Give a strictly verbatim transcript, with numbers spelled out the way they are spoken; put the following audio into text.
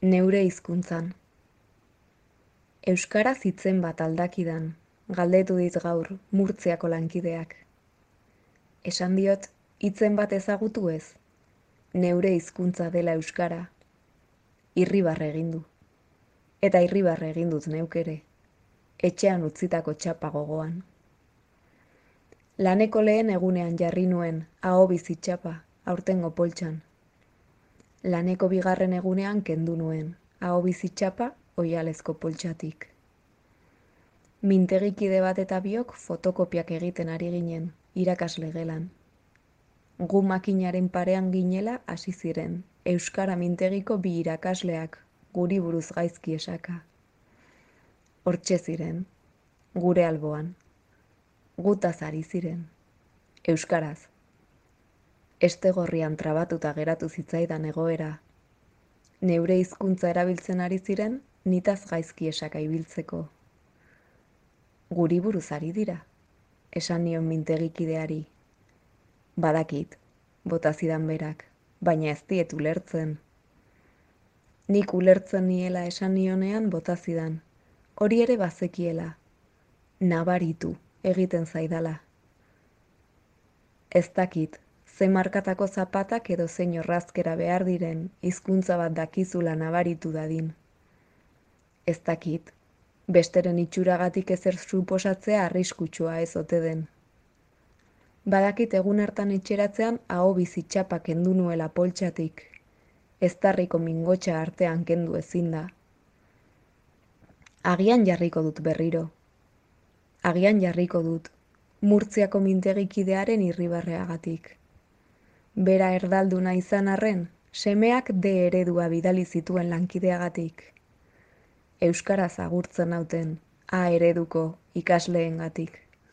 Neure hizkuntzan. Euskaraz hitzen bat aldakidan, galdetu dit gaur Murtziako lankideak. Esan diot, hitzen bat ezagutu ez, neure hizkuntza dela euskara. Irribarre egin du. Eta irribarre egin dut neuk ere, etxean utzitako txapa gogoan. Laneko lehen egunean jarri nuen ahobizi txapa aurtengo poltsan. Laneko bigarren egunean kendu nuen ahobizi txapa oihalezko poltsatik. Mintegikide bat eta biok fotokopiak egiten ari ginen, irakasle gelan. Gu makinaren parean ginela hasi ziren, euskara mintegiko bi irakasleak, guri buruz gaizki esaka. Hortxe ziren, gure alboan. Gutaz ari ziren, euskaraz. Estegorrian trabatuta geratu zitzaidan egoera. Neure hizkuntza erabiltzen ari ziren, nitaz gaizki esaka ibiltzeko. Guri buruz ari dira, esan nion mintegikideari. Badakit, bota zidan berak, baina ez diet ulertzen. Nik ulertzen niela esan nionean bota zidan, hori ere bazekiela. Nabaritu egiten zaidala. Ez dakit, ze markatako zapatak edo zein orrazkera behar diren hizkuntza bat dakizula nabaritu dadin. Ez dakit, besteren itxuragatik ezer suposatzea arriskutsua ez ote den. Badakit egun hartan etxeratzean ahobizi txapa kendu nuela poltsatik, eztarriko mingotsa artean kendu ezin da. Agian jarriko dut berriro. Agian jarriko dut, Murtziako mintegikidearen irribarreagatik. Bera erdalduna izan arren, semeak D eredua bidali zituen lankideagatik. Euskaraz agurtzen nauten A ereduko ikasleengatik.